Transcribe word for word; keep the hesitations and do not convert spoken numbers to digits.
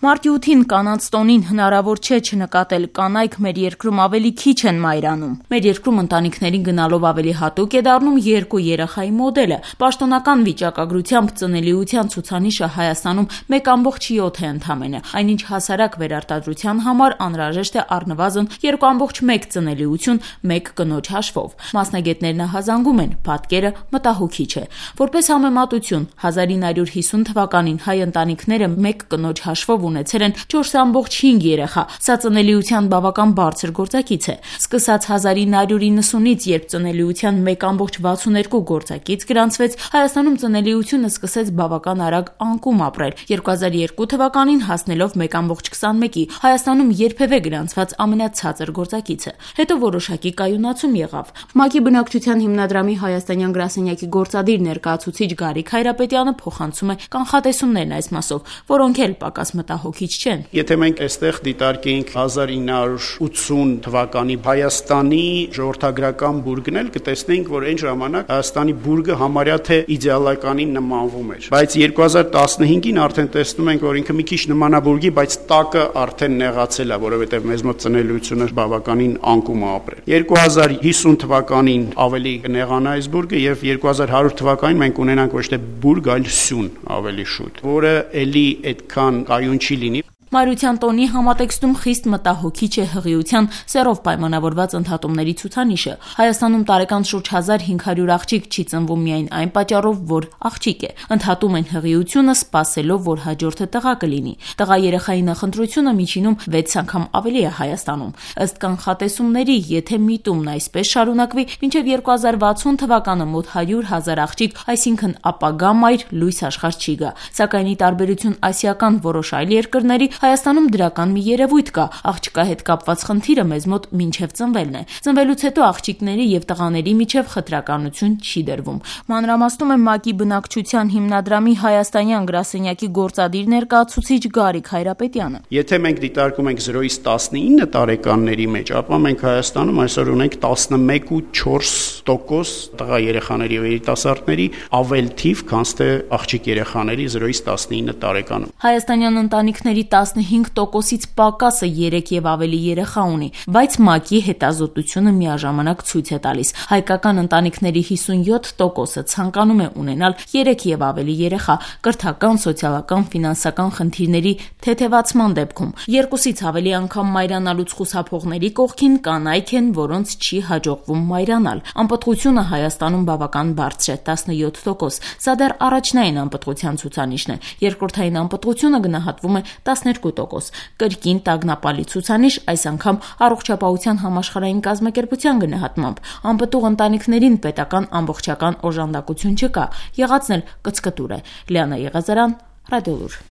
Մարտի ութին կանանց տոնին հնարավոր չէ չնկատել կանայք մեր երկրում ավելի քիչ են մայրանում։ Մեր երկրում ընտանիքներին գնալով ավելի հատուկ է դառնում երկու երեխայի մոդելը։ Պաշտոնական վիճակագրությամբ ծնելիության ցուցանիշը Հայաստանում մեկ ամբողջ յոթ է ընդամենը, այնինչ հասարակ վերարտադրության համար անհրաժեշտ է առնվազն երկու ամբողջ մեկ ծնելիություն մեկ կնոջ հաշվով։ Մասնագետներն ահազանգում են, պատկերը մտահոգիչ է։ Որպես համեմատություն, հազար ինը հարյուր հիսուն թվականին հայ ընտանիքները մեկ կնոջ հաշվով ունեցել են չորս ամբողջ հինգ երեխա, սա ծնելիության բավական բարձր գործակից է։ Սկսած հազար ինը հարյուր իննսունից, երբ ծնելիության մեկ ամբողջ վաթսուններկու գործակից գրանցվեց, Հայաստանում ծնելիությունը սկսեց բավական արագ անկում ապրել։ երկու հազար երկու թվականին հասնելով մեկ ամբողջ քսանմեկի, Հայաստանում երբևէ գրանցված ամենացածր գործակիցը։ Հետո որոշակի կայունացում եղավ։ ՄԱԿ-ի բնակչության հիմնադրամի հայաստանյան գրասենյակի գործադիր ներկայացուցիչ Գարիկ Հայրապետյանը փոխանցում է կանխատեսումներն այս մասով, որոնք էլ պակաս մտահոգիչ չեն։ Եթե մենք այստեղ դիտարկենք հազար ինը հարյուր ութսուն թվականի Հայաստանի ժողովրդագրական բուրգն էլ կտեսնենք, որ այն ժամանակ Հայաստանի բուրգը համարյա թե իդեալականին նմանվում էր։ Բայց երկու հազար տասնհինգին արդեն տեսնում ենք, որ ինքը մի քիչ նմանա բուրգի, բայց տակը արդեն նեղացել է, որովհետև մեզ մոտ ծնելիությունը բավականին անկում է ապրել։ երկու հազար հիսուն թվականին ավելի կնեղանա այս բուրգը եւ երկու հազար հարյուր թվականին մենք ունենանք ոչ թե բուրգ, այլ սյուն ավելի շուտ, որը էլի այդքան կայուն չի լինի։ Մայրության տոնի համատեքստում խիստ մտահոգիչ է հղիության սեռով պայմանավորված ընդհատումների ցուցանիշը։ Հայաստանում տարեկան շուրջ հազար հինգ հարյուր աղջիկ չի ծնվում միայն այն պատճառով, որ աղջիկ է։ Ընդհատում են հղիությունը սպասելով, որ հաջորդը տղա կլինի։ Տղա երեխայի նախընտրությունը միջինում վեց անգամ ավելի է Հայաստանում։ Ըստ կանխատեսումների, եթե միտումն այսպես շարունակվի, մինչև երկու հազար վաթսուն թվականը մոտ հարյուր հազար աղջիկ, այսինքն ապագա մայր լույս աշխարհ չի գա։ Սակայն ի տարբերություն ասիական որոշ այլ երկրների, Հայաստանում դրական մի երևույթ կա։ Աղջկա հետ կապված խնդիրը մեզ մոտ մինչև ծնվելն է։ Ծնվելուց հետո աղջիկների եւ տղաների միջև խտրականություն չի դրվում։ Մանրամասնում է ՄԱԿ-ի բնակչության հիմնադրամի հայաստանյան գրասենյակի գործադիր ներկայացուցիչ Գարիկ Հայրապետյանը։ Եթե մենք դիտարկում ենք զրոյից տասնինը տարեկանների մեջ, ապա մենք Հայաստանում այսօր ունենք տասնմեկ ու չորս տոկոս տղա երեխաների եւ երիտասարդների ավել թիվ, քան թե աղջիկ երեխաների զրոյից տասնինը տարեկանում։ Հայաստանյան ընտանիքների տասնհինգ տոկոսից պակասը երեք եւ ավելի երեխա ունի, բայց ՄԱԿ-ի հետազոտությունը միաժամանակ ցույց է տալիս. հայկական ընտանիքների հիսունյոթ տոկոսը ցանկանում է ունենալ երեք եւ ավելի երեխա կրթական, սոցիալական, ֆինանսական խնդիրների թեթևացման դեպքում։ Երկուսից ավելի անգամ մայրանալուց խուսափողների կողքին կանայք են, որոնց չի հաջողվում մայրանալ։ Անպտղությունը Հայաստանում բավական բարձր է՝ տասնյոթ տոկոս։ Սա դեռ առաջնային անպտղության ցուցանիշն է։ Երկրորդային անպտղությունը գնահատվում է տասներկու տոկոս։ Կրկին տագնապալի ցուցանիշ, այս անգամ առողջապահության համաշխարհային կազմակերպության գնահատմամբ։ Անպտուղ ընտանիքներին պետական ամբողջական օժանդակություն չկա, եղածն էլ կծկտուր է։ Լիանա Եղազարյան, Ռադիոլուր։